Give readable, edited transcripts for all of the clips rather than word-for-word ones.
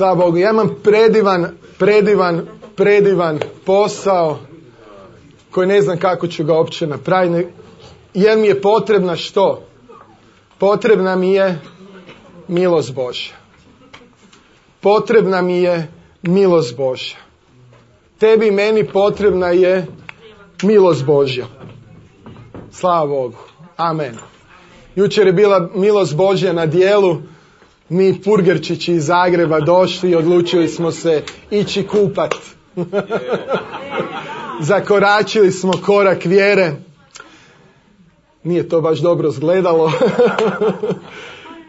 Slava Bogu, ja imam predivan posao koji ne znam kako ću ga uopće napraviti. Jer mi je potrebna što? Potrebna mi je milost Božja. Potrebna mi je milost Božja. Tebi i meni potrebna je milost Božja. Slava Bogu. Amen. Jučer je bila milost Božja na dijelu. Mi purgerčići iz Zagreba došli i odlučili smo se ići kupat. Zakoračili smo korak vjere. Nije to baš dobro izgledalo.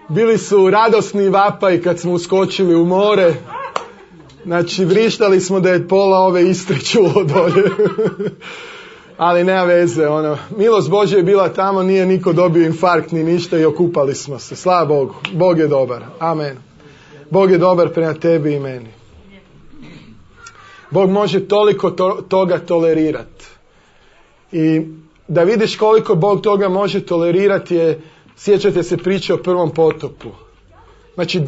Bili su radosni vapaji kad smo uskočili u more. Znači, vrištali smo da je pola ove Istre čulo dolje. Ali nema veze, milost Božja je bila tamo, nije niko dobio infarkt ni ništa i okupali smo se. Slava Bogu. Bog je dobar. Amen. Bog je dobar prema tebi i meni. Bog može toliko toga tolerirati. I da vidiš koliko Bog toga može tolerirati sjećate se priče o prvom potopu. Znači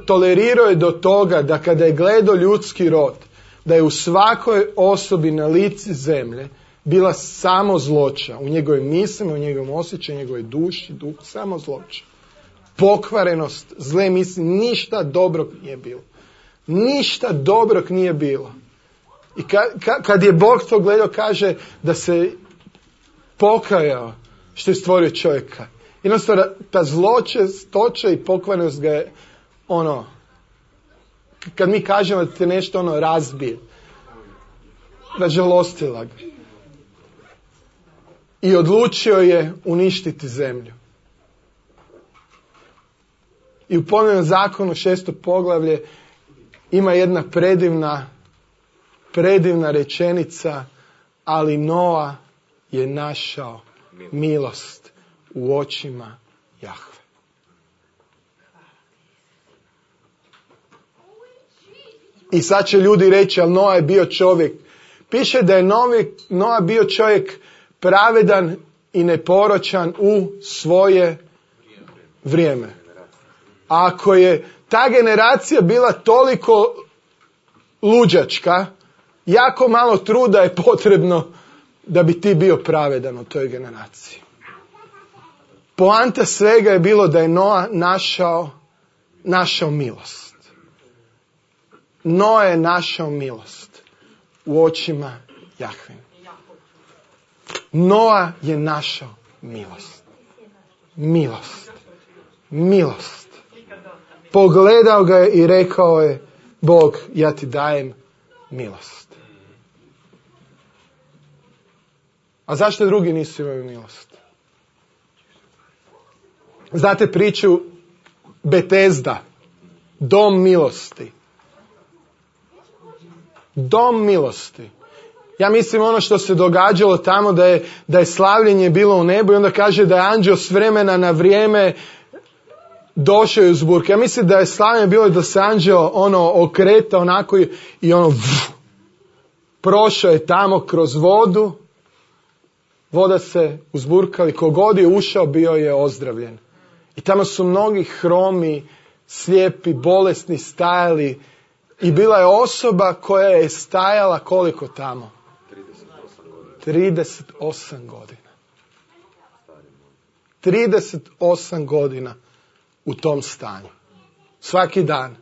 tolerirao je do toga da kada je gledao ljudski rod, da je u svakoj osobi na lici zemlje bila samo zloća. U njegovim mislima, u njegovom osjećaju, u njegovoj duši, duhu, samo zloća. Pokvarenost, zle misli, ništa dobrog nije bilo. Ništa dobrog nije bilo. I kad je Bog to gledao, kaže da se pokajao što je stvorio čovjeka. Jednostavno, ta zločestoća i pokvarenost ga je, kad mi kažemo da te nešto razbije, ražalostila ga. I odlučio je uništiti zemlju. I u ponovnom zakonu 6. poglavlje ima jedna predivna rečenica, ali Noa je našao milost u očima Jahve. I sad će ljudi reći, ali Noa je bio čovjek. Piše da je Noa bio čovjek pravedan i neporočan u svoje vrijeme. Ako je ta generacija bila toliko luđačka, jako malo truda je potrebno da bi ti bio pravedan u toj generaciji. Poanta svega je bilo da je Noa našao milost. Noa je našao milost u očima Jahve. Noa je našao milost. Milost. Pogledao ga je i rekao je, Bog, ja ti dajem milost. A zašto drugi nisu imali milost? Znate priču Betesda, dom milosti. Dom milosti. Ja mislim što se događalo tamo da je slavljenje bilo u nebu i onda kaže da je anđeo s vremena na vrijeme došao i uzburka. Ja mislim da je slavljenje bilo da se anđeo okreta onako i prošao je tamo kroz vodu. Voda se uzburkala i kogod je ušao bio je ozdravljen. I tamo su mnogi hromi, slijepi, bolesni stajali i bila je osoba koja je stajala koliko tamo? 38 godina. 38 godina u tom stanju. Svaki dan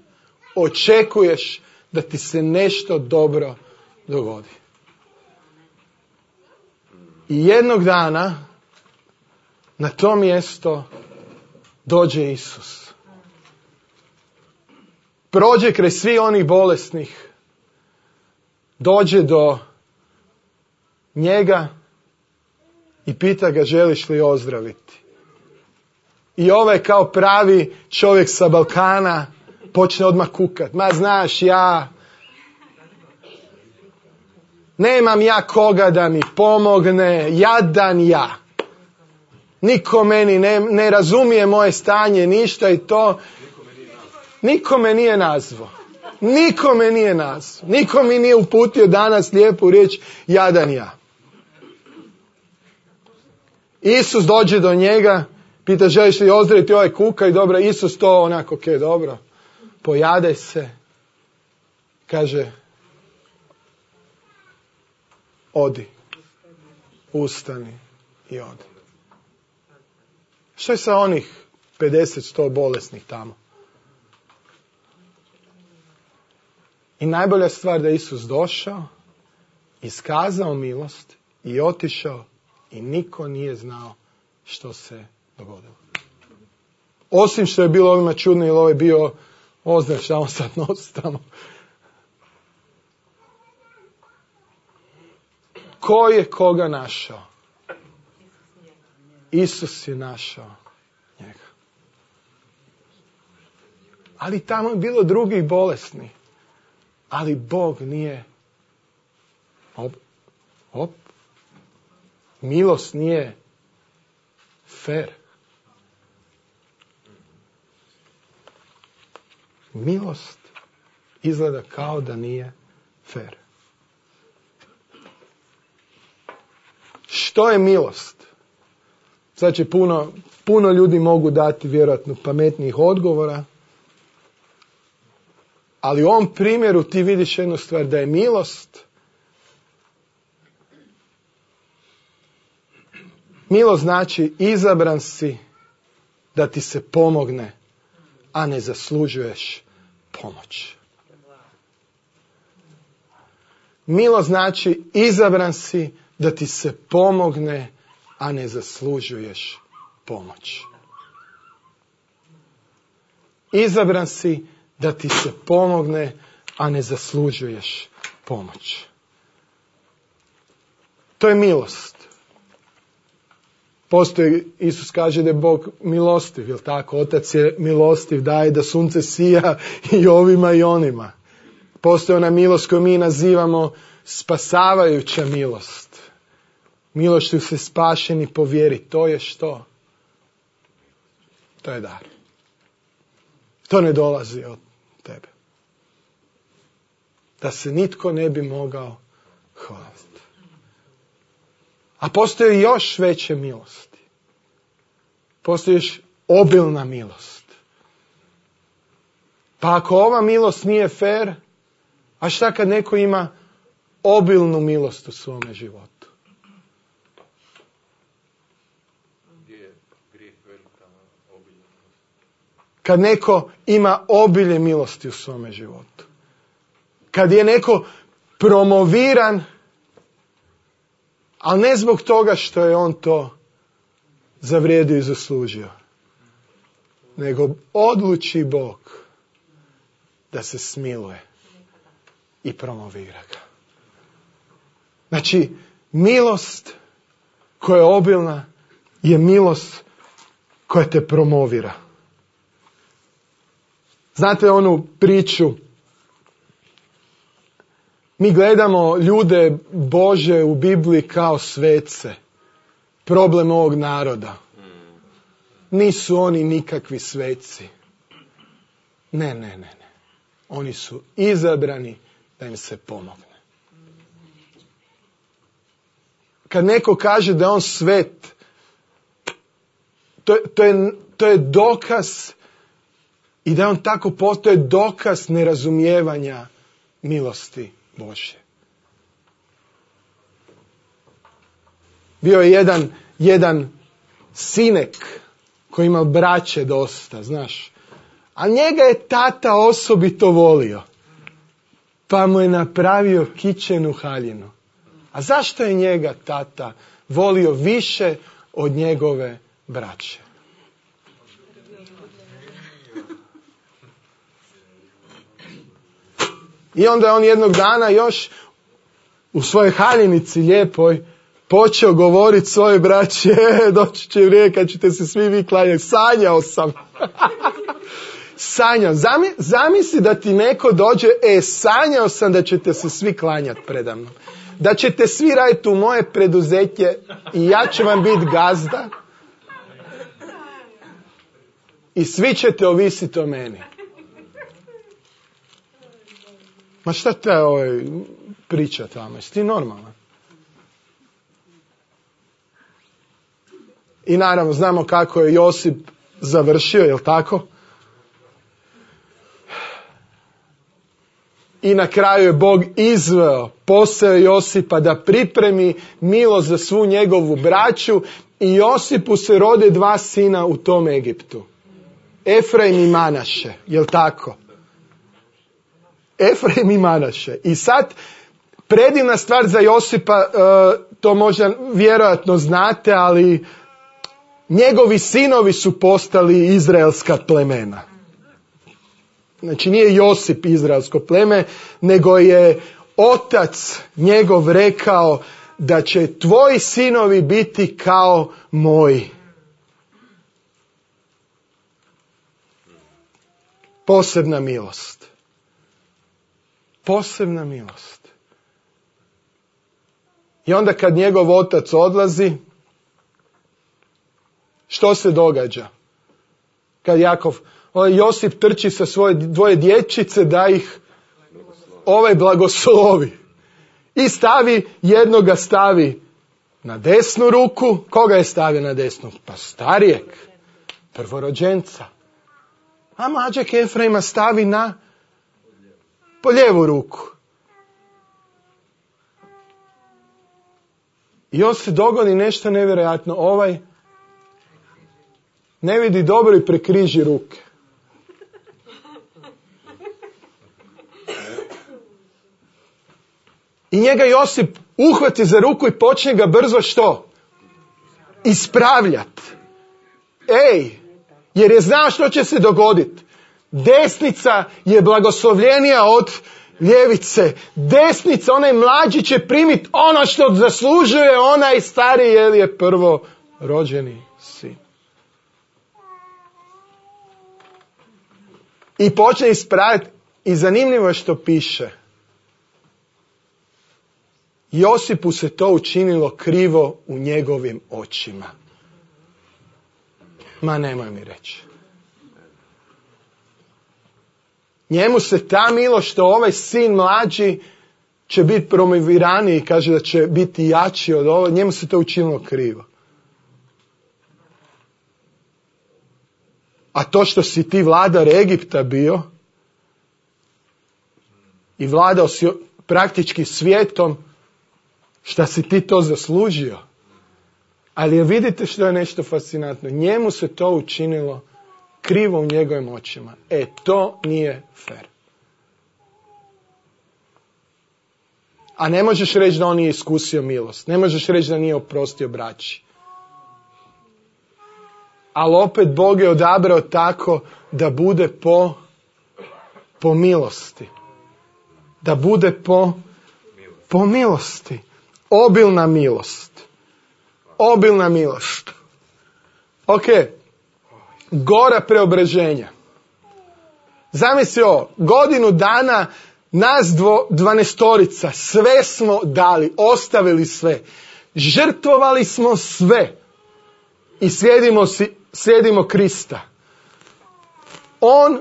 očekuješ da ti se nešto dobro dogodi. I jednog dana na to mjesto dođe Isus. Prođe kraj svih onih bolesnih. Dođe do njega i pita ga, želiš li ozdraviti? I ovaj kao pravi čovjek sa Balkana počne odmah kukat. Ma znaš, nemam ja koga da mi pomogne, jadan ja. Niko meni ne razumije moje stanje, ništa i to. Niko me nije nazvao. Niko mi nije uputio danas lijepu riječ, jadan ja. Isus dođe do njega, pita, želiš li ozdraviti ovaj kuka i dobro, Isus to onako, dobro, pojade se kaže, odi, ustani i odi. Što je sa onih 50-100 bolesnih tamo? I najbolja stvar da je Isus došao, iskazao milost i otišao i niko nije znao što se dogodilo. Osim što je bilo ovima čudno, jer ovo je bio oznak šta on sad nosi tamo. Ko je koga našao? Isus je našao njega. Ali tamo je bilo drugih bolesnih. Ali Bog nije milost nije fer. Milost izgleda kao da nije fer. Što je milost? Sad će puno ljudi mogu dati vjerojatno pametnijih odgovora. Ali u ovom primjeru ti vidiš jednu stvar, da je milost. Milost znači izabran si da ti se pomogne, a ne zaslužuješ pomoć. Milost znači izabran si da ti se pomogne, a ne zaslužuješ pomoć. Izabran si da ti se pomogne, a ne zaslužuješ pomoć. To je milost. Postoji, Isus kaže da je Bog milostiv, jel tako? Otac je milostiv, daje da sunce sija i ovima i onima. Postoji ona milost koju mi nazivamo spasavajuća milost. Milošću se spašeni po vjeri. To je što? To je dar. To ne dolazi od tebe. Da se nitko ne bi mogao hvaliti. A postoji još veće milosti. Postoji još obilna milost. Pa ako ova milost nije fer, a šta kad neko ima obilnu milost u svome životu? Kad neko ima obilje milosti u svome životu. Kad je neko promoviran, ali ne zbog toga što je on to zavrijedio i zaslužio. Nego odluči Bog da se smiluje i promovira ga. Znači, milost koja je obilna je milost koja te promovira. Znate onu priču, mi gledamo ljude Bože u Bibliji kao svece. Problem ovog naroda. Nisu oni nikakvi sveci. Ne. Oni su izabrani da im se pomogne. Kad neko kaže da je on svet, to je dokaz i da on tako postoje dokaz nerazumijevanja milosti Božje. Bio je jedan sinek koji ima braće dosta, znaš. A njega je tata osobito volio. Pa mu je napravio kićenu haljinu. A zašto je njega tata volio više od njegove braće? I onda je on jednog dana još u svojoj haljinici lijepoj počeo govoriti svojoj braći, doći će vrijeme kad ćete se svi vi klanjati. Sanjao sam. Sanjao. Zamisli da ti neko dođe, sanjao sam da ćete se svi klanjati predamnom. Da ćete svi raditi u moje preduzeće i ja ću vam biti gazda. I svi ćete ovisiti o meni. Ma šta te priča tamo? Jesi ti normalan? I naravno znamo kako je Josip završio, jel tako? i na kraju je Bog izveo, posao Josipa da pripremi milost za svu njegovu braću i Josipu se rode 2 sina u tom Egiptu. Efraim i Manaše, jel tako? Efraim i Manaše. I sad, predivna stvar za Josipa, to možda vjerojatno znate, ali njegovi sinovi su postali izraelska plemena. Znači nije Josip izraelsko pleme, nego je otac njegov rekao da će tvoji sinovi biti kao moji. Posebna milost. Posebna milost. I onda kad njegov otac odlazi, što se događa? Kad Josip trči sa svoje 2 dječjice da ih blagoslovi. I jednoga stavi na desnu ruku. Koga je stavio na desnu? Pa starijeg, prvorođenca. A mlađeg Efraima stavi po lijevu ruku. I on se dogodi nešto nevjerojatno. Ne vidi dobro i prekriži ruke. I njega Josip uhvati za ruku i počne ga brzo što? Ispravljati. Jer je znao što će se dogoditi. Desnica je blagoslovljenija od ljevice. Desnica, onaj mlađi će primiti ono što zaslužuje onaj stariji, jer je prvo rođeni sin. I počne ispraviti. I zanimljivo je što piše. Josipu se to učinilo krivo u njegovim očima. Ma nemoj mi reći. Njemu se ta milost što ovaj sin mlađi će biti promoviraniji, kaže da će biti jači od ovo, njemu se to učinilo krivo. A to što si ti vladar Egipta bio i vladao si praktički svijetom, šta si ti to zaslužio. Ali vidite što je nešto fascinantno. Njemu se to učinilo krivo u njegovim očima. To nije fair. A ne možeš reći da on nije iskusio milost. Ne možeš reći da nije oprostio braći. Ali opet Bog je odabrao tako da bude po milosti. Da bude po milosti. Obilna milost. Obilna milost. Ok. Gora preobraženja. Zamisli ovo. Godinu dana nas 12 sve smo dali. Ostavili sve. Žrtvovali smo sve. I slijedimo Krista.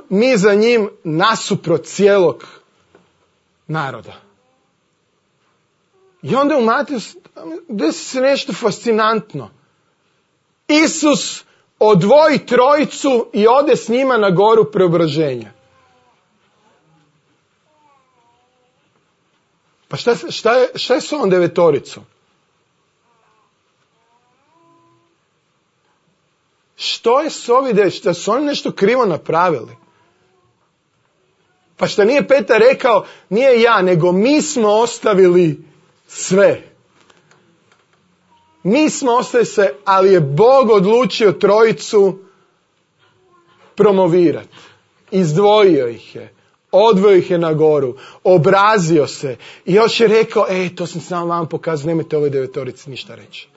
Mi za njim nasuprot cijelog naroda. I onda u Mateju desi se nešto fascinantno. Isus odvoji 3 i ode s njima na goru preobraženja. Pa šta je s ovom 9? Što je s ovi 9? Šta su oni nešto krivo napravili? Pa šta nije Petar rekao, nije ja, nego mi smo ostavili sve. Mi smo ostavili sve, ali je Bog odlučio 3 promovirati. Izdvojio ih je. Odveo ih je na goru. Obrazio se. I još je rekao, to sam samo vam pokazao, nemojte ovoj 9 ništa reći.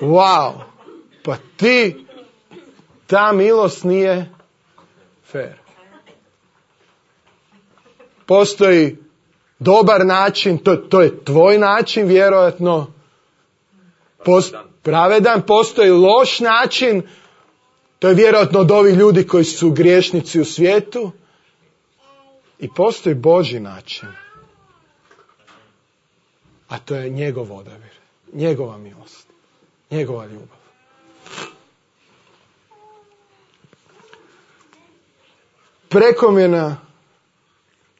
Wow. Pa ta milost nije fair. Postoji dobar način, to je tvoj način vjerojatno, pravedan, postoji loš način, to je vjerojatno od ovih ljudi koji su griješnici u svijetu, i postoji Božji način, a to je njegov odabir, njegova milost, njegova ljubav. Prekomjerna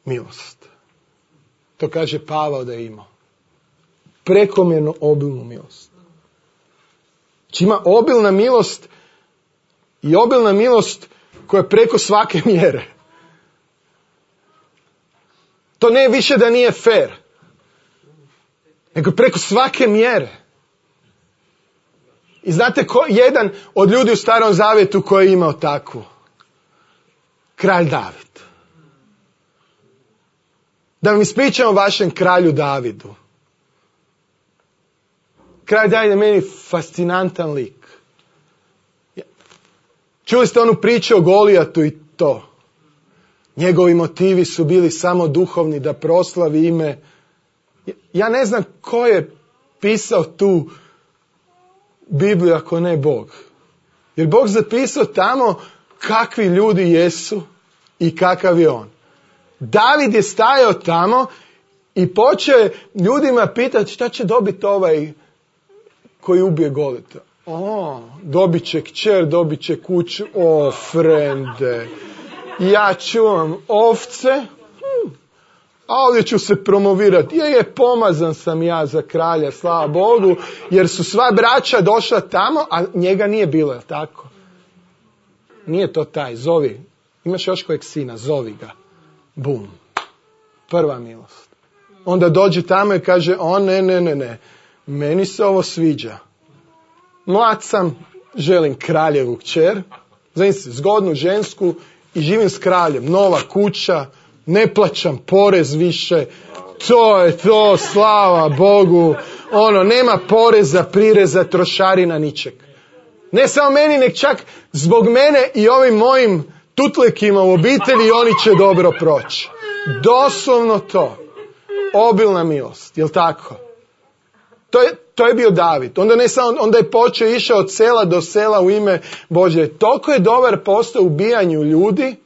milost. To kaže Pavao da je imao. Prekomjerno obilnu milost. Znači ima obilna milost i obilna milost koja je preko svake mjere. To ne više da nije fair, nego preko svake mjere. I znate jedan od ljudi u Starom Zavjetu koji je imao takvu? Kralj David. Da vam ispričam o vašem kralju Davidu. Kralj David je meni fascinantan lik. Čuli ste onu priču o Golijatu i to. Njegovi motivi su bili samo duhovni, da proslavi ime. Ja ne znam ko je pisao tu Bibliju ako ne Bog. Jer Bog zapisao tamo kakvi ljudi jesu i kakav je on. David je stajao tamo i počeo je ljudima pitati šta će dobiti ovaj koji ubije Golijata. Dobit će kćer, dobit će kuću. Frende, ja čuvam ovce, a ovdje ću se promovirati. Pomazan sam ja za kralja, slava Bogu, jer su sva braća došla tamo, a njega nije bilo, je tako? Nije to taj, zovi. Imaš još kojeg sina, zovi ga. Bum. Prva milost. Onda dođe tamo i kaže, ne. Meni se ovo sviđa. Mlad sam, želim kraljevu kćer. Znam se, zgodnu žensku i živim s kraljem. Nova kuća, ne plaćam porez više. To je to, slava Bogu. Nema poreza, prireza, trošarina, ničeg. Ne samo meni, nek čak zbog mene i ovim mojim tutlikima u obitelji oni će dobro proći. Doslovno to. Obilna milost, jel tako? To je bio David. Onda je počeo, išao od sela do sela u ime Božje. Toliko je dobar postao u ubijanju ljudi,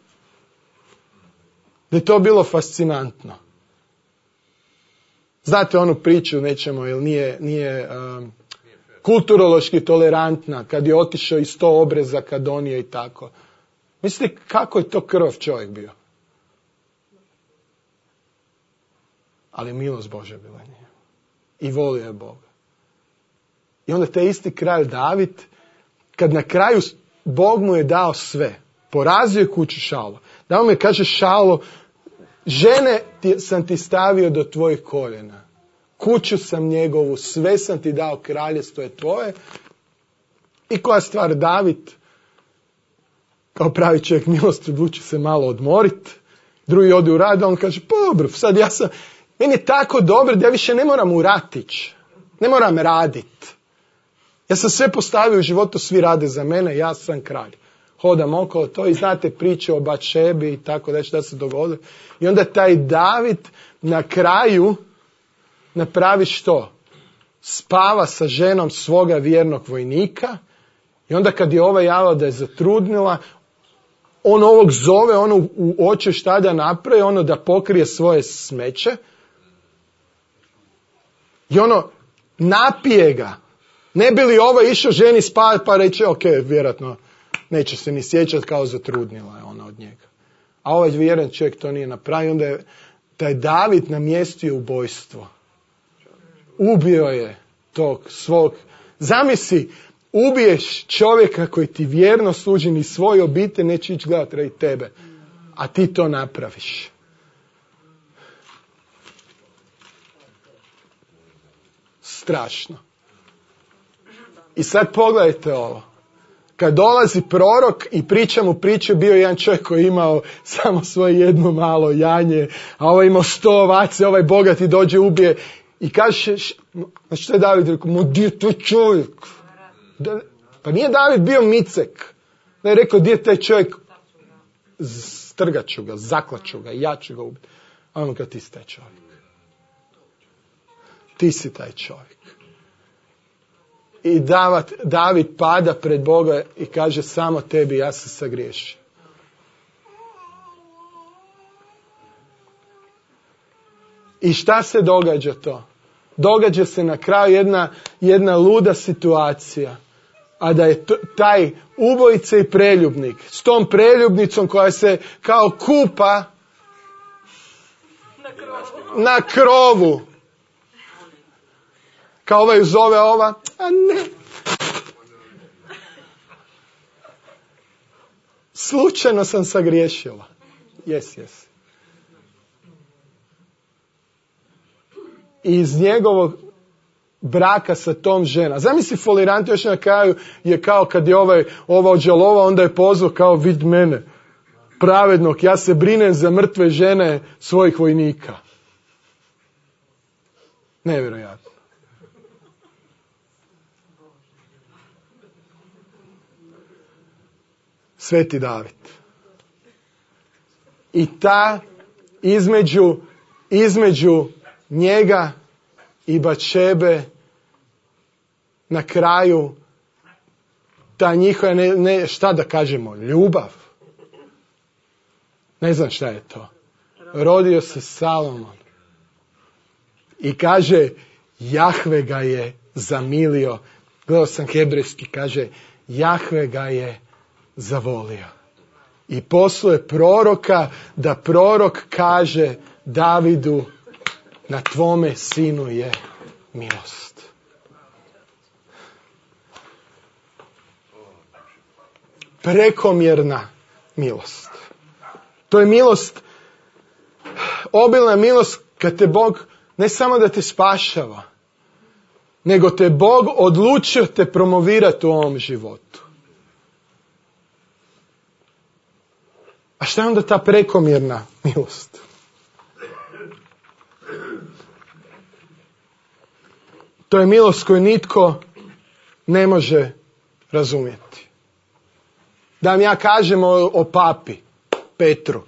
da je to bilo fascinantno. Znate onu priču, nećemo, jer nije kulturološki tolerantna, kad je otišao i 100 obrezaka donio i tako. Mislite kako je to krvav čovjek bio? Ali milost Božja bila nije. I volio je Boga. I onda taj isti kralj David, kad na kraju Bog mu je dao sve, porazio je kuću Šaulo. Dao mu je, kaže Šaulo, žene sam ti stavio do tvojih koljena. Kuću sam njegovu, sve sam ti dao, kraljestvo je tvoje. I koja stvar, David, kao pravi čovjek milosti, odluči se malo odmoriti. Drugi ode u rad, on kaže, pa dobro, sad meni je tako dobro da ja više ne moram u ratić. Ne moram raditi. Ja sam sve postavio u životu, svi rade za mene, ja sam kralj. Hodam okolo to i znate priče o Batšebi i tako da šta se dogodilo. I onda taj David na kraju napravi što? Spava sa ženom svoga vjernog vojnika i onda kad je ova javila da je zatrudnila, on ovog zove, u oči šta da napravi, da pokrije svoje smeće i napije ga. Ne bi li ovo išao ženi spavati pa reći, ok, vjerojatno neće se ni sjećati kao zatrudnila je ona od njega. A ovaj vjeran čovjek to nije napravio, onda je taj David namjestio ubojstvo. Ubio je tog svog. Zamisli, ubiješ čovjeka koji ti vjerno služi, ni svoje obitelj neće ići gledati radi tebe. A ti to napraviš. Strašno. I sad pogledajte ovo. Kad dolazi prorok i priča mu priče, bio je jedan čovjek koji je imao samo svoje jedno malo janje, a ovaj imao 100 ovaca, ovaj bogati dođe, ubije i kaže, znači što je David rekao, gdje je taj čovjek? Pa nije David bio micek. Ne je rekao, gdje je taj čovjek? Strgat ću ga, zaklaću ga, ja ću ga ubiti. A on kao, ti si taj čovjek. Ti si taj čovjek. I David pada pred Boga i kaže, samo tebi ja se sagriješim. I šta se događa to? Događa se na kraju jedna luda situacija. a da je taj ubojica i preljubnik s tom preljubnicom koja se kao kupa na krovu. Kao ovaj zove ova, a ne. Slučajno sam sagriješila. Yes. I iz njegovog braka sa tom žena. Zamisli folirant još na kraju je kao kad je ova odžalova, onda je pozvao kao vid mene, pravednog, ja se brinem za mrtve žene svojih vojnika. Nevjerojatno. Sveti David. I ta između njega i Batšebe na kraju ta njihova, šta da kažemo, ljubav. Ne znam šta je to. Rodio se Salomon. I kaže, Jahve ga je zamilio. Gledao sam hebrejski, kaže, Jahve ga je zavolio. I posluje proroka, da prorok kaže Davidu, na tvome sinu je milost. Prekomjerna milost. To je milost, obilna milost kad te Bog ne samo da te spašava, nego te Bog odlučio te promovirati u ovom životu. A šta je onda ta prekomjerna milost? To je milost koju nitko ne može razumjeti. Da vam ja kažem o papi Petru.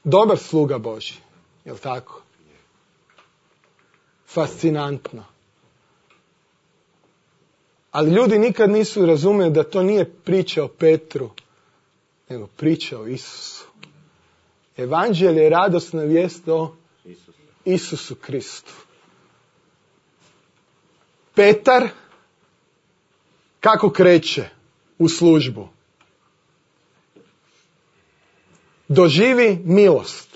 Dobar sluga Božji, jel tako? Fascinantno. Ali ljudi nikad nisu razumjeli da to nije priča o Petru, nego priča o Isusu. Evanđelje je radosna vijest o Isusu Kristu. Petar kako kreće u službu? Doživi milost.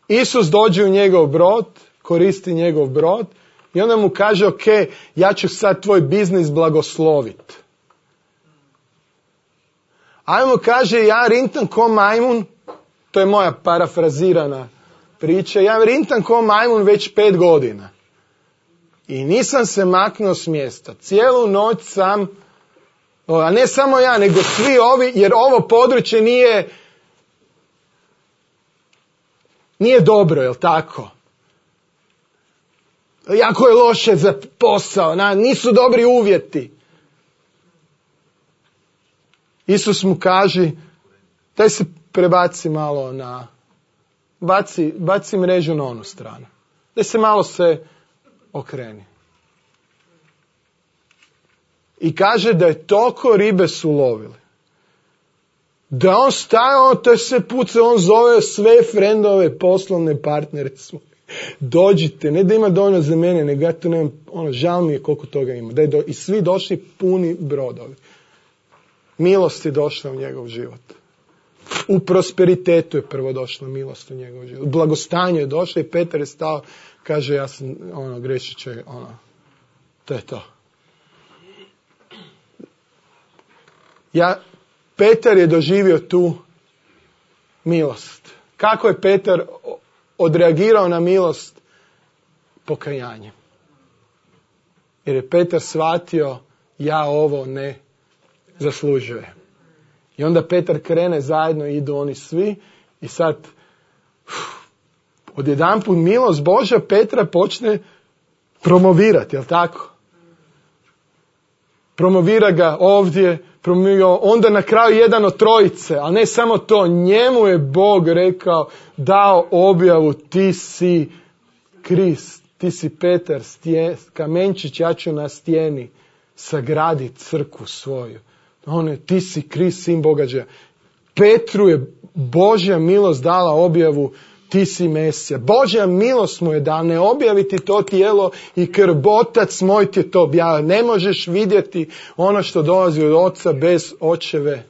Isus dođe u njegov brod, koristi njegov brod i onda mu kaže, ok, ja ću sad tvoj biznis blagosloviti. Ajmo, kaže, ja rintam ko majmun, to je moja parafrazirana priča, ja rintam ko majmun već 5 godina. I nisam se maknuo s mjesta. Cijelu noć sam, a ne samo ja, nego svi ovi, jer ovo područje nije dobro, jel tako? Jako je loše za posao, nisu dobri uvjeti. Isus mu kaže, daj se prebaci malo baci mrežu na onu stranu. Daj se malo okreni. I kaže da je toliko ribe su lovili. Da on staje, to je sve puca, on zove sve frendove, poslovne partnere svoje. Dođite, ne da ima dovoljno za mene, nego ja tu nemam, žal mi je koliko toga ima. I svi došli puni brodovi. Milost je došla u njegov život. U prosperitetu je prvo došla milost u njegov život. U blagostanju je došla i Petar je stao, kaže, ja sam grešiće, to je to. Petar je doživio tu milost. Kako je Petar odreagirao na milost? Pokajanjem. Jer je Petar shvatio, ja ovo ne zaslužujem. I onda Petar krene, zajedno idu oni svi i sad odjedanput milost Božja Petra počne promovirati, jel tako? Promovira ga ovdje, onda na kraju jedan od trojice, ali ne samo to, njemu je Bog rekao, dao objavu, ti si Krist, ti si Petar, kamenčić, ja ću na stijeni sagraditi crkvu svoju. Ti si Krist, sin Boga. Petru je Božja milost dala objavu, ti si Mesija. Božja milost mu je da ne objaviti to tijelo i krv. Otac moj ti je to objavio. Ne možeš vidjeti ono što dolazi od oca bez očeve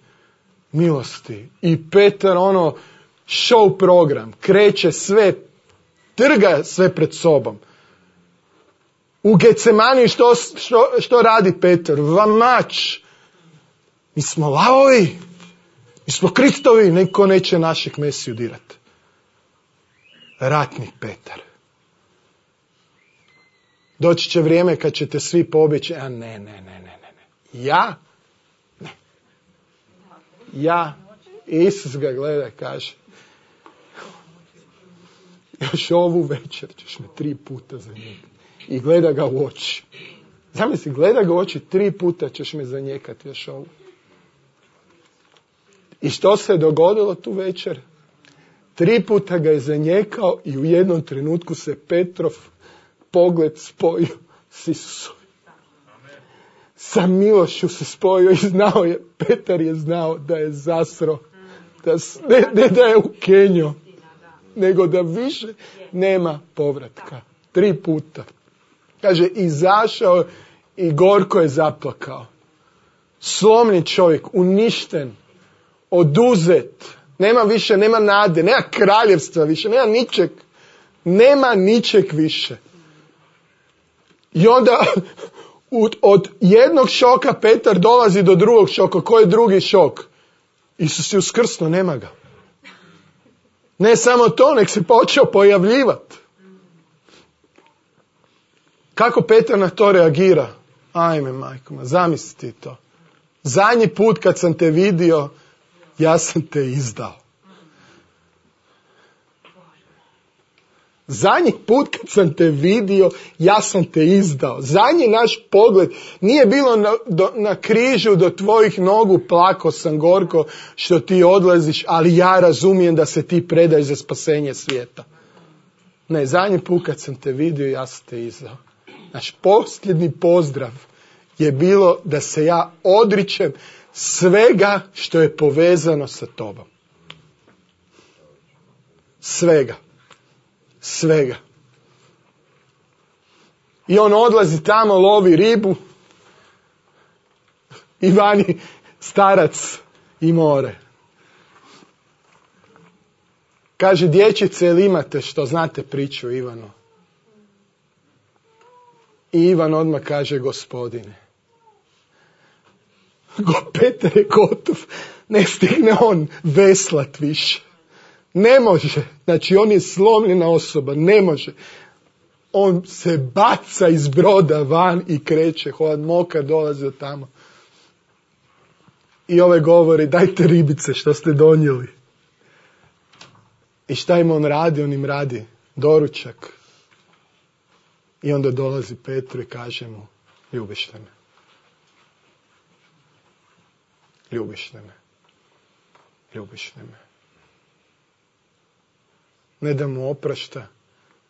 milosti. I Petar show program, kreće sve, trga sve pred sobom. U Getsemani što radi Petar? Vamač. Mi smo lavovi, mi smo Kristovi, niko neće našeg Mesiju dirati. Ratnik Petar. Doći će vrijeme kad ćete svi pobjeći, a ne. Ja? Ne. Ja. Isus ga gleda, kaže, još ovu večer ćeš me 3 puta zanijekati. I gleda ga u oči. Zamisli, gleda ga u oči, 3 puta ćeš me zanijekati još ovu. I što se dogodilo tu večer? 3 puta ga je zanijekao i u jednom trenutku se Petrov pogled spojio s Isusom. Sa milošću se spojio i Petar je znao da je zasro. Ne da je ukenio, nego da više nema povratka. 3 puta. Kaže, izašao i gorko je zaplakao. Slomljen čovjek, uništen, oduzet. Nema više, nema nade, nema kraljevstva više, nema ničeg. Nema ničeg više. I onda od jednog šoka Petar dolazi do drugog šoka. Koji je drugi šok? Isus je uskrsnuo, nema ga. Ne samo to, nek se počeo pojavljivati. Kako Petar na to reagira? Ajme, majko, zamisli to. Zadnji put kad sam te vidio, ja sam te izdao. Zadnji put kad sam te vidio, ja sam te izdao. Zadnji naš pogled nije bilo na križu do tvojih nogu, plako sam gorko što ti odlaziš, ali ja razumijem da se ti predaješ za spasenje svijeta. Ne, zadnji put kad sam te vidio, ja sam te izdao. Naš posljednji pozdrav je bilo da se ja odričem svega što je povezano sa tobom. Svega. I on odlazi tamo, lovi ribu i vani starac i more. Kaže, dječice, jel imate što znate priču Ivanu? I Ivan odmah kaže, Gospodine. Petar je gotov, ne stigne on veslat više. Ne može, znači on je slomljena osoba, ne može. On se baca iz broda van i kreće, hod mokar dolazi od tamo. I ovaj govori, dajte ribice što ste donijeli. I šta im on radi? On im radi doručak. I onda dolazi Petru i kaže mu, ljubiš li me? Ljubiš li me? Ljubiš li me? Ne da mu oprašta,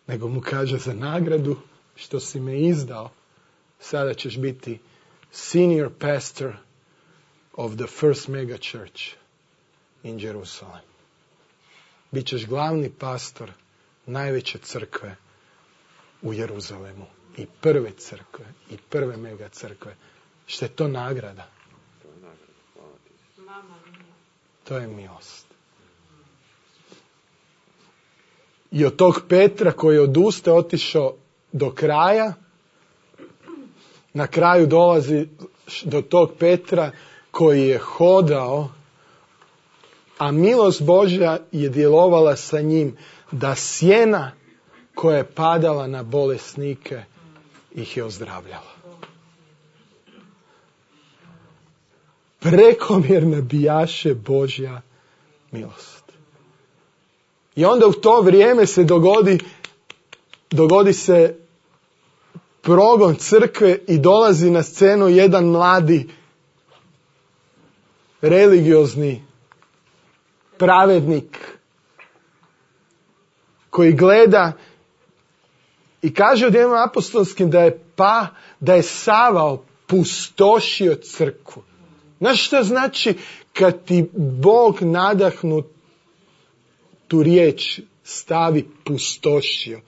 nego mu kaže za nagradu što si me izdao. Sada ćeš biti senior pastor of the first mega church in Jerusalem. Bićeš glavni pastor najveće crkve u Jeruzalemu. I prve crkve, i prve mega crkve. Što je to nagrada? To je milost. I od tog Petra koji je odustao, otišao do kraja, na kraju dolazi do tog Petra koji je hodao, a milost Božja je djelovala sa njim da sjena koja je padala na bolesnike ih je ozdravljala. Prekomjerna bijaše Božja milost. I onda u to vrijeme se dogodi se progon crkve i dolazi na scenu jedan mladi religiozni pravednik koji gleda i kaže u Djelima apostolskim da je Sava pustošio crkvu. Znaš što znači kad ti Bog nadahnu tu riječ stavi pustošio.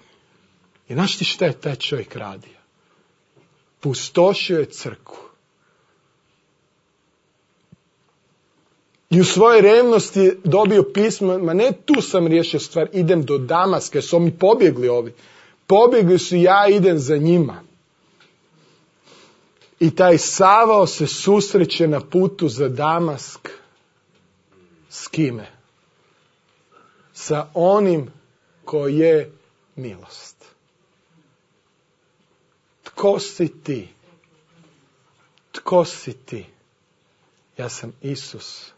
I znaš ti šta je taj čovjek radio? Pustošio je crkvu. I u svojoj revnosti dobio pismo, ma ne tu sam riješio stvar, idem do Damaska, jer su mi pobjegli ovi. Pobjegli su, ja idem za njima. I taj Savao se susreće na putu za Damask. S kime? Sa onim ko je milost. Tko si ti? Tko si ti? Ja sam Isus.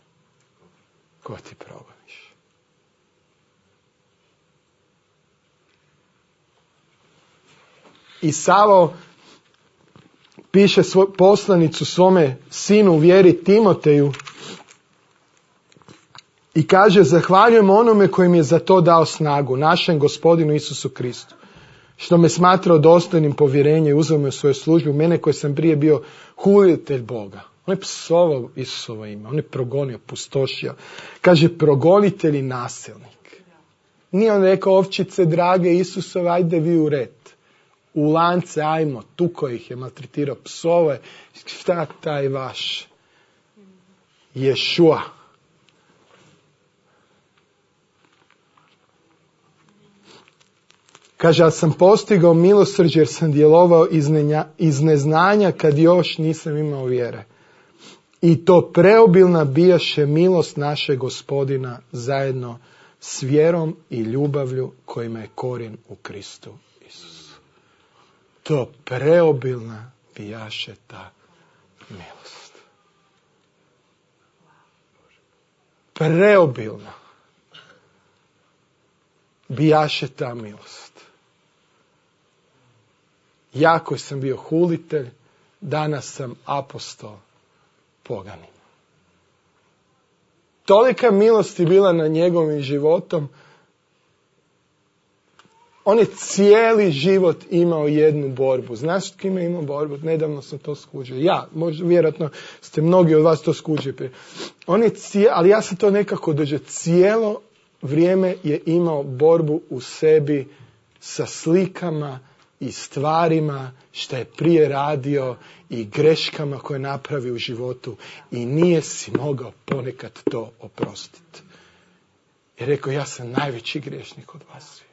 Ko ti progoniš? I Savao piše poslanicu svome sinu u vjeri Timoteju i kaže: zahvaljujem onome koji mi je za to dao snagu, našem Gospodinu Isusu Kristu, što me smatrao dostojnim povjerenja i uzeo me u svoju službu, mene koji sam prije bio hulitelj Boga. On je psovao Isusovo ime, on je progonio, pustošio. Kaže progonitelj i nasilnik. Nije on rekao ovčice drage Isusove, ajde vi u red. U lance ajmo, tuko ih je, maltretirao, psove. Šta taj vaš? Ješua. Kaže, ja sam postigao milosrđe jer sam djelovao iz neznanja kad još nisam imao vjere. I to preobilna bijaše milost našeg Gospodina zajedno s vjerom i ljubavlju kojima je korijen u Kristu Isusu. To preobilna bijaše ta milost. Preobilna bijaše ta milost. Ja koji sam bio hulitelj, danas sam apostol poganima. Tolika milost je bila na njegovim životom. On je cijeli život imao jednu borbu. Znaš kime imao borbu? Nedavno sam to skužio. Ja, možda, vjerojatno ste mnogi od vas to skužili. Ali ja sam to nekako doživio. Cijelo vrijeme je imao borbu u sebi sa slikama i stvarima što je prije radio i greškama koje je napravio u životu i nije si mogao ponekad to oprostiti. I rekao, ja sam najveći griješnik od vas svi.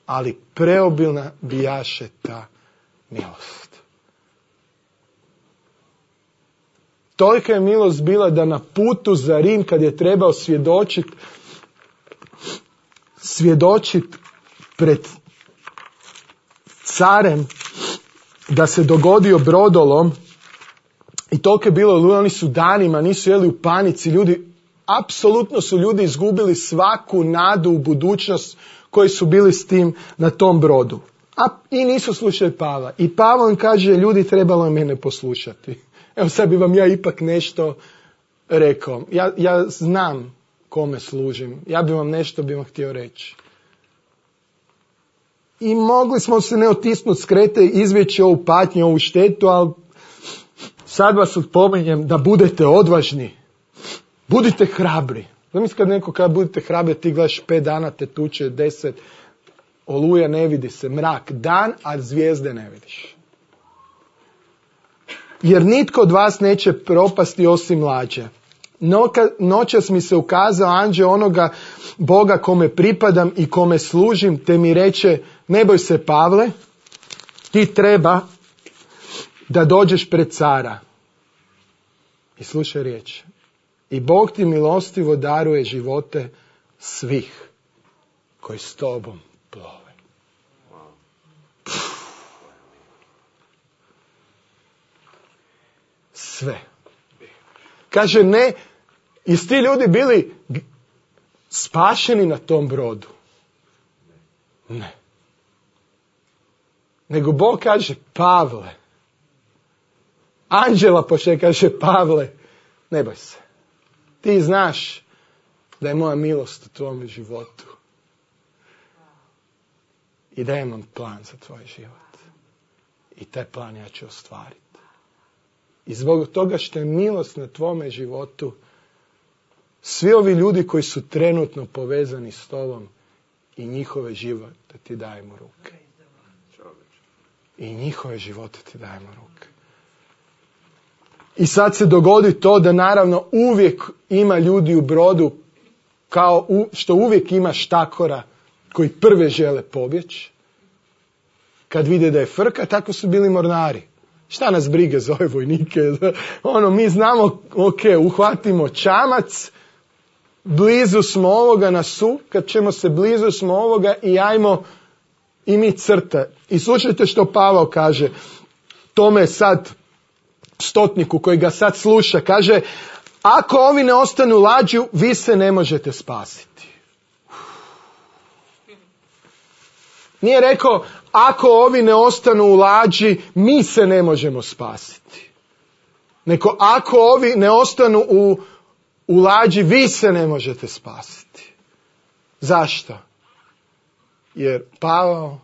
Ali preobilna bijaše ta milost. Tolika je milost bila da na putu za Rim kad je trebao svjedočit pred carem da se dogodio brodolom i toliko je bilo, oni su danima, nisu jeli u panici, apsolutno su ljudi izgubili svaku nadu u budućnost koji su bili s tim na tom brodu. I nisu slušali Pavla. I Pavlo im kaže, ljudi trebalo je mene poslušati. Evo sad bi vam ja ipak nešto rekao. Ja znam kome služim. Ja bi vam nešto htio reći. I mogli smo se ne otisnuti s Krete, izvjeći ovu patnju, ovu štetu, ali sad vas odpominjem da budete odvažni. Budite hrabri. Zamisli kad neko kada budete hrabri, ti gledaš 5 dana, te tuče 10, oluja ne vidi se, mrak, dan, a zvijezde ne vidiš. Jer nitko od vas neće propasti osim lađe. Noćas mi se ukazao anđeo onoga Boga kome pripadam i kome služim, te mi reče, ne boj se Pavle, ti treba da dođeš pred cara. I slušaj riječ. I Bog ti milostivo daruje živote svih koji s tobom plove. Sve. Kaže, ne, i ti ljudi bili spašeni na tom brodu. Ne. Nego Bog kaže, Pavle, anđela pošle kaže, Pavle, ne boj se. Ti znaš da je moja milost u tvojom životu. I da imam plan za tvoj život. I taj plan ja ću ostvariti. I zbog toga što je milost na tvome životu, svi ovi ljudi koji su trenutno povezani s tobom i njihove živote ti dajemo ruke. I njihove živote ti dajemo ruke. I sad se dogodi to da naravno uvijek ima ljudi u brodu, kao što uvijek ima štakora koji prve žele pobjeći. Kad vide da je frka, tako su bili mornari. Šta nas brige za ove vojnike? Mi znamo, uhvatimo čamac, blizu smo ovoga na kad ćemo se blizu smo ovoga i ajmo i mi crta. I slušajte što Pavao kaže tome sad stotniku koji ga sad sluša. Kaže, ako ovi ne ostanu u lađu, vi se ne možete spasiti. Nije rekao, ako ovi ne ostanu u lađi, mi se ne možemo spasiti. Nego, ako ovi ne ostanu u lađi, vi se ne možete spasiti. Zašto? Jer Pavao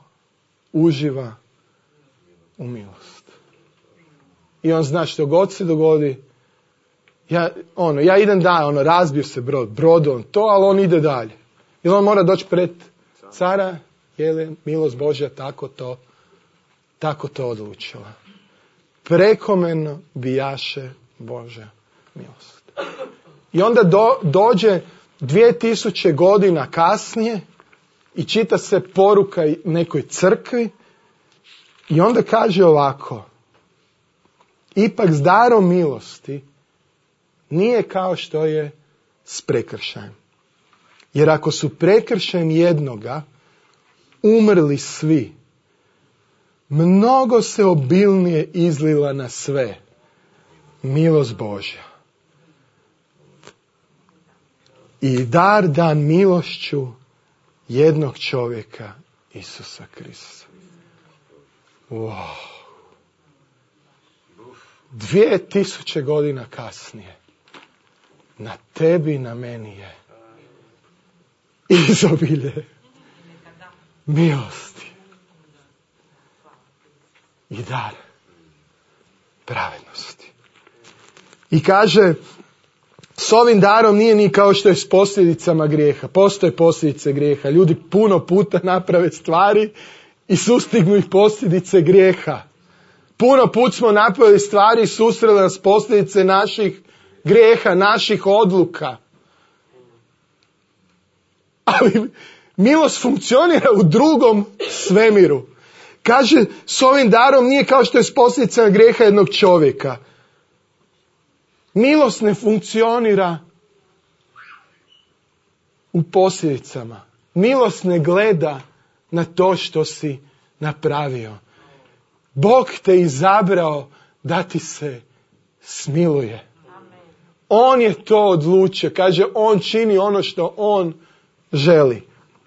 uživa u milost. I on zna što god se dogodi. Ja idem dalje, razbio se brodom, ali on ide dalje. Jer on mora doći pred cara, jer je milost Božja tako to odlučila. Prekomjerno bijaše Božja milost. I onda dođe 2000 godina kasnije i čita se poruka nekoj crkvi i onda kaže ovako: ipak s darom milosti nije kao što je s prekršajem. Jer ako su prekršajem jednoga umrli svi, mnogo se obilnije izlila na sve milost Božja. I dar dan milošću jednog čovjeka, Isusa Krista. Wow. 2000 godina kasnije na tebi i na meni je izobilje milosti i dar pravednosti. I kaže, s ovim darom nije ni kao što je s posljedicama grijeha. Postoje posljedice grijeha. Ljudi puno puta naprave stvari i sustignu ih posljedice grijeha. Puno put smo napravili stvari i susreli nas posljedice naših grijeha, naših odluka. Ali milost funkcionira u drugom svemiru. Kaže, s ovim darom nije kao što je s posljedicama grijeha jednog čovjeka. Milost ne funkcionira u posljedicama. Milost ne gleda na to što si napravio. Bog te izabrao da ti se smiluje. On je to odlučio. Kaže, on čini ono što on želi.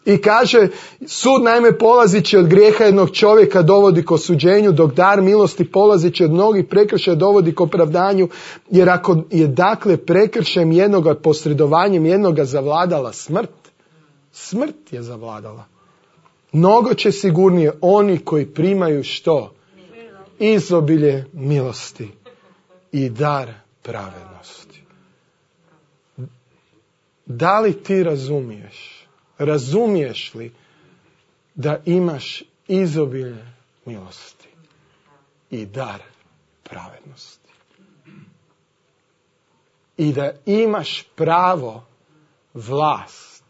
I kaže, sud naime polazići od grijeha jednog čovjeka dovodi k osuđenju, dok dar milosti polazići od mnogih prekršaja dovodi k opravdanju, jer ako je dakle prekršajem jednoga, posredovanjem jednoga zavladala smrt je zavladala. Mnogo će sigurnije oni koji primaju što? Izobilje milosti i dar pravednosti. Da li ti razumiješ? Razumiješ li da imaš izobilje milosti i dar pravednosti? I da imaš pravo, vlast,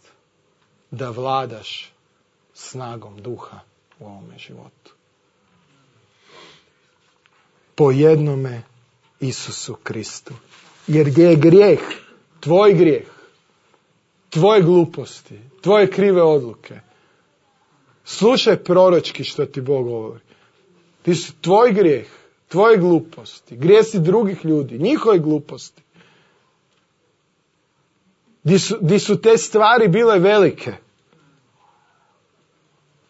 da vladaš snagom duha u ovome životu. Po jednome Isusu Kristu. Jer gdje je grijeh, tvoje gluposti, tvoje krive odluke, slušaj proročki što ti Bog govori. Ti su tvoj grijeh, tvoje gluposti, grijesi drugih ljudi, njihove gluposti. Di su te stvari bile velike,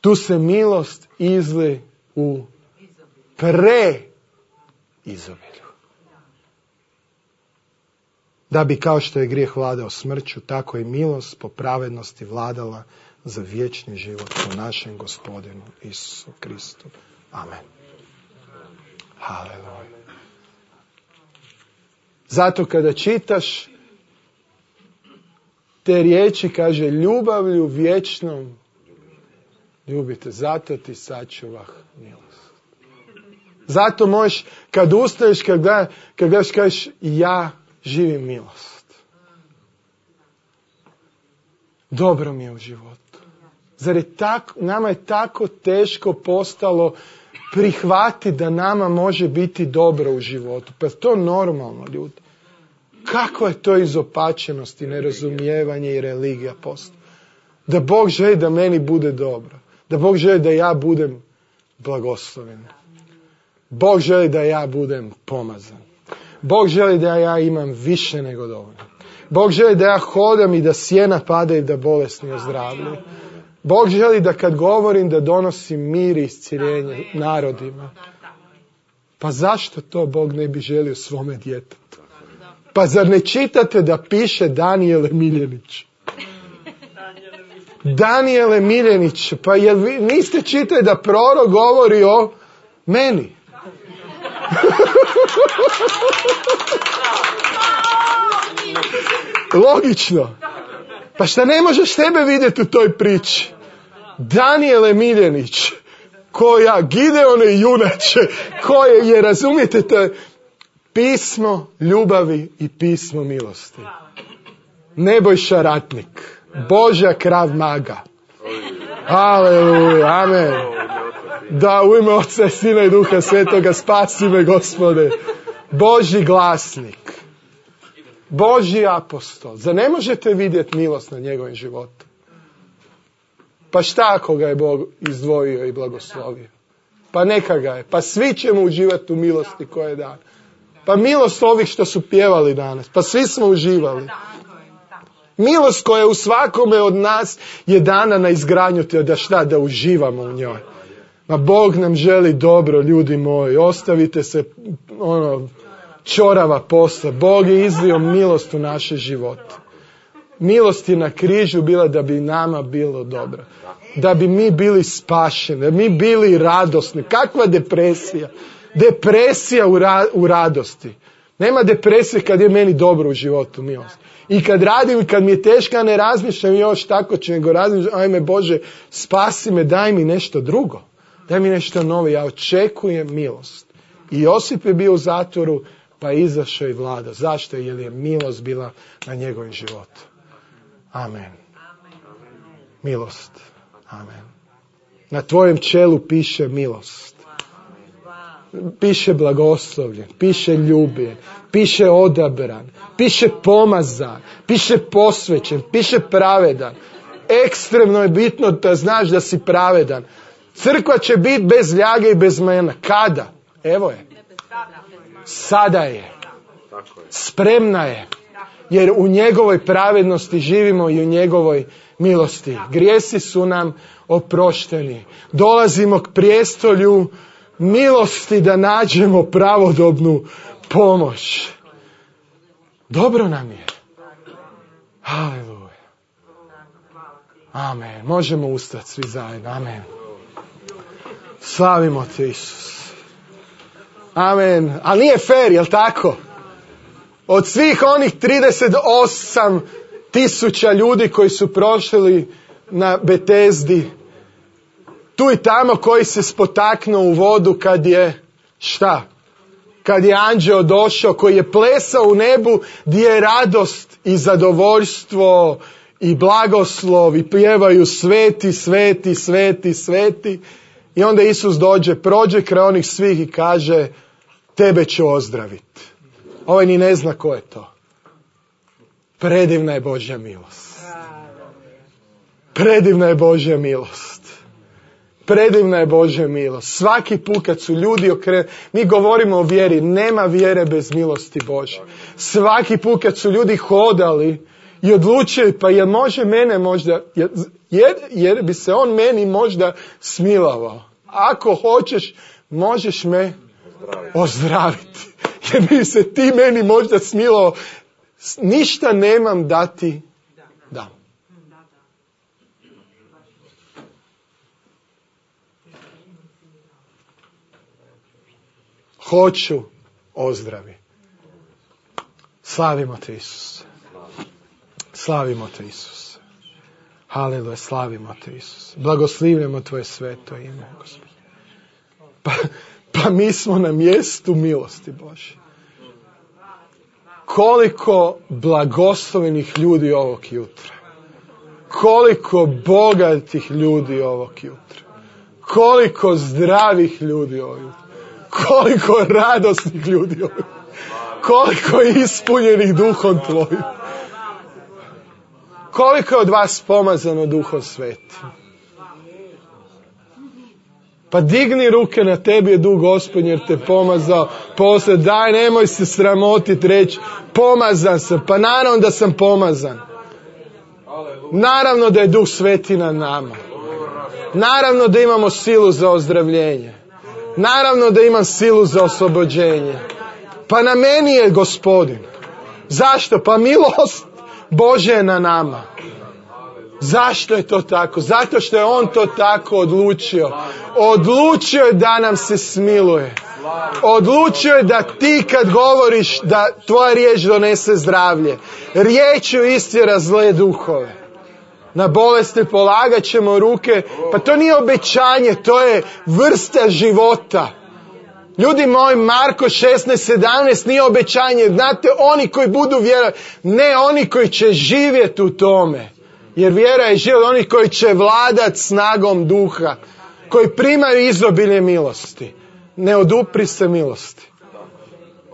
tu se milost izli u izobilju. Da bi kao što je grijeh vladao smrću, tako i milost po pravednosti vladala za vječni život u našem Gospodinu Isusu Kristu. Amen. Haleluja. Zato kada čitaš te riječi, kaže, ljubavlju vječnom ljubite, zato ti sačuvah milost. Zato možeš, kad ustaješ, kad gledaš, kažeš, ja živim milost. Dobro mi je u životu. Zar je nama je tako teško postalo prihvatiti da nama može biti dobro u životu? Pa je to normalno, ljudi. Kakva je to izopačenost i nerazumijevanje i religija postala? Da Bog želi da meni bude dobro. Da Bog želi da ja budem blagosloven. Bog želi da ja budem pomazan. Bog želi da ja imam više nego dovoljno. Bog želi da ja hodam i da sjena pada i da bolesni ozdravljaju. Bog želi da kad govorim da donosim mir i isciljenje narodima. Pa zašto to Bog ne bi želio svome djetetu? Pa zar ne čitate da piše Danijele Miljenić? Danijele Miljenić, pa jel vi niste čitali da prorok govori o meni? Logično. Pa šta ne možeš tebe vidjeti u toj priči? Danijele Miljenić, koja Gideone junače, koje je, razumijete, to je pismo ljubavi i pismo milosti. Nebojša Ratnik, Božja Krav Maga. Aleluja, amen. Da, u ime Oca i Sina i Duha Svetoga, spasi me, Gospode. Božji glasnik. Božji apostol. Zar ne možete vidjeti milost na njegovim životu? Pa šta ako ga je Bog izdvojio i blagoslovio? Pa neka ga je. Pa svi ćemo uživati u milosti koje je dana. Pa milost ovih što su pjevali danas. Pa svi smo uživali. Milost koja u svakome od nas je dana na izgradnju te da šta? Da uživamo u njoj. Ma Bog nam želi dobro, ljudi moji. Ostavite se čorava posla. Bog je izlio milost u naše živote. Milost je na križu bila da bi nama bilo dobro. Da bi mi bili spašeni. Da bi mi bili radosni. Kakva depresija? Depresija u radosti. Nema depresije kad je meni dobro u životu, milost. I kad radim, kad mi je teško, ne razmišljam još tako će, nego razmišljam, ajme Bože, spasi me, daj mi nešto drugo. Daj mi nešto novo, ja očekujem milost. I Josip je bio u zatvoru, pa je izašao i vlada. Zašto? Jer je milost bila na njegovim životu. Amen. Milost. Amen. Na tvojem čelu piše milost. Piše blagoslovljen, piše ljubljen, piše odabran, piše pomazan, piše posvećen, piše pravedan. Ekstremno je bitno da znaš da si pravedan. Crkva će biti bez ljage i bez mena. Kada? Evo je. Sada je. Spremna je. Jer u njegovoj pravednosti živimo i u njegovoj milosti. Grijesi su nam oprošteni. Dolazimo k prijestolju milosti da nađemo pravodobnu pomoć. Dobro nam je. Haleluja. Amen. Možemo ustati svi zajedno. Amen. Slavimo te, Isus. Amen. Ali nije fair, jel tako? Od svih onih 38.000 ljudi koji su prošli na Betesdi, tu i tamo koji se spotaknuo u vodu kad je, šta? Kad je anđeo došao, koji je plesao u nebu, gdje je radost i zadovoljstvo i blagoslov i pjevaju sveti, sveti, sveti, sveti. I onda Isus dođe, prođe kraj onih svih i kaže, tebe ću ozdraviti. Ovaj ni ne zna ko je to. Predivna je Božja milost. Predivna je Božja milost. Predivna je Božja milost. Svaki put kad su ljudi mi govorimo o vjeri, nema vjere bez milosti Božje. Svaki put kad su ljudi hodali i odlučili, pa jel može mene možda, jer bi se on meni možda smilovao. Ako hoćeš, možeš me ozdraviti. Jer bi se ti meni možda smilovao. Ništa nemam da ti dam. Hoću ozdravi. Slavimo te, Isuse. Slavimo te, Isuse. Haleluja, slavimo te, Isuse. Blagoslivljamo tvoje sveto ime, Gospod. Pa mi smo na mjestu milosti Bože. Koliko blagoslovenih ljudi ovog jutra. Koliko bogatih ljudi ovog jutra. Koliko zdravih ljudi ovog jutra. Koliko radosnih ljudi ovog jutra. Koliko ispunjenih duhom tvojim. Koliko je od vas pomazano Duhom Svetim. Pa digni ruke, na tebi je Duh Gospodnji jer te pomazao. Poslije, daj, nemoj se sramotiti reći, pomazan sam. Pa naravno da sam pomazan. Naravno da je Duh Sveti na nama. Naravno da imamo silu za ozdravljenje. Naravno da imam silu za oslobođenje. Pa na meni je Gospodin. Zašto? Pa milost Božja je na nama. Zašto je to tako? Zato što je On to tako odlučio. Odlučio je da nam se smiluje. Odlučio je da ti kad govoriš da tvoja riječ donese zdravlje. Riječju istjera zle duhove. Na bolesti polagat ćemo ruke. Pa to nije obećanje, to je vrsta života. Ljudi moji, Marko 16:17 nije obećanje. Znate, oni koji budu vjerovati, ne oni koji će živjeti u tome. Jer vjera je život, oni koji će vladati snagom duha, koji primaju izobilje milosti. Ne odupri se milosti.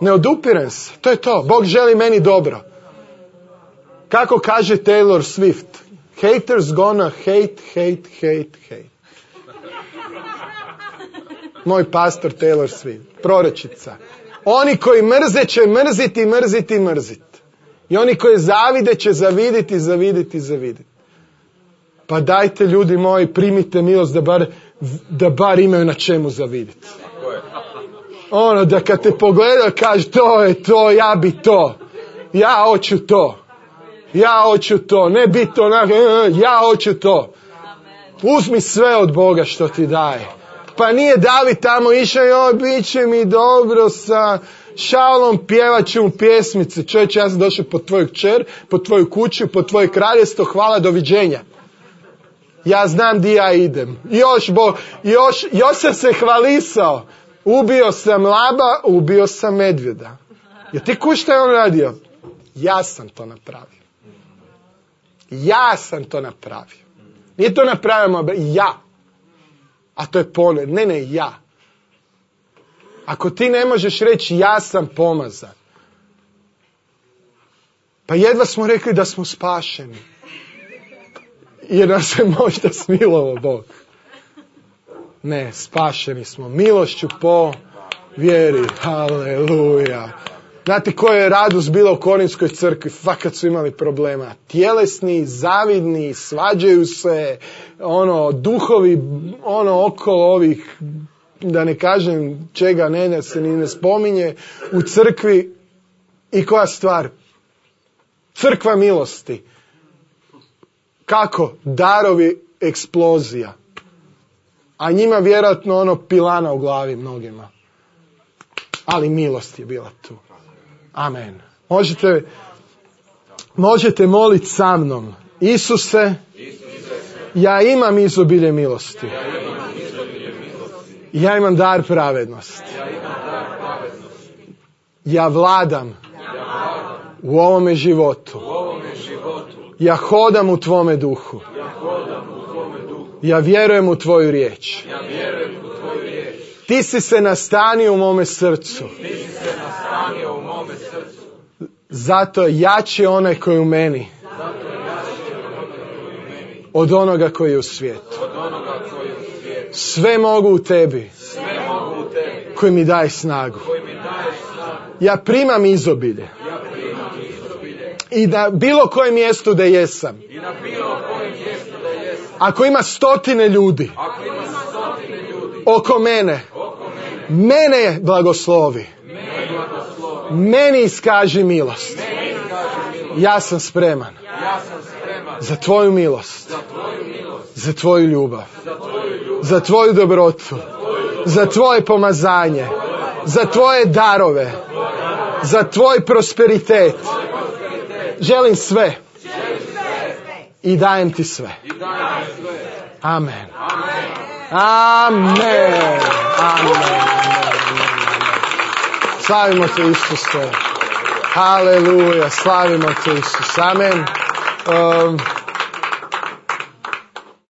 Ne odupirem se, to je to. Bog želi meni dobro. Kako kaže Taylor Swift? Haters gonna hate. Moj pastor Taylor Swift, proročica. Oni koji mrze će mrziti. I oni koji zavide će zaviditi. Pa dajte, ljudi moji, primite milost da bar imaju na čemu zaviditi. Ono, da kad te pogleda kaže, to je to, ja bi to. Ja hoću to. Ne biti onako, ja hoću to. Uzmi sve od Boga što ti daje. Pa nije David tamo išao, bit će mi dobro sa Šaulom, pjevat ću mu pjesmice. Čovječe, ja sam došao po tvoju kćer, po tvoju kuću, po tvoje kraljevstvo, hvala, doviđenja. Ja znam di ja idem. Još sam se hvalisao. Ubio sam laba, ubio sam medvjeda. Jer ti kuš šta je on radio? Ja sam to napravio. Nije to napravio ja. A to je pogled. Ne, ja. Ako ti ne možeš reći ja sam pomazan. Pa jedva smo rekli da smo spašeni. Jer nas se možda smilovao Bog. Ne, spašeni smo. Milošću po vjeri. Haleluja. Znate koja je radost bila u Korinskoj crkvi? Fakat su imali problema. Tjelesni, zavidni, svađaju se, duhovi, okolo ovih, da ne kažem čega ne se ni ne spominje, u crkvi. I koja stvar? Crkva milosti. Kako? Darovi eksplozija. A njima vjerojatno pilana u glavi mnogima. Ali milost je bila tu. Amen. Možete moliti sa mnom. Isuse, ja imam izobilje milosti. Ja imam dar pravednosti. Ja vladam u ovome životu. Ja hodam u tvome duhu. Ja vjerujem u tvoju riječ. Ti si se nastanio u mome srcu. Zato je jači onaj koji je u meni od onoga koji je u svijetu. Sve mogu u tebi koji mi daje snagu. Ja primam izobilje. I na bilo kojem mjestu da jesam. Ako ima 100 ljudi oko mene, mene blagoslovi. Meni iskaži milost. Ja sam spreman za tvoju milost, za tvoju ljubav, za tvoju dobrotu, za tvoje pomazanje, za tvoje darove, za tvoj prosperitet. Želim sve i dajem ti sve. Amen. Amen. Amen. Slavimo te, Isuse. Haleluja. Slavimo te, Isuse. Amen.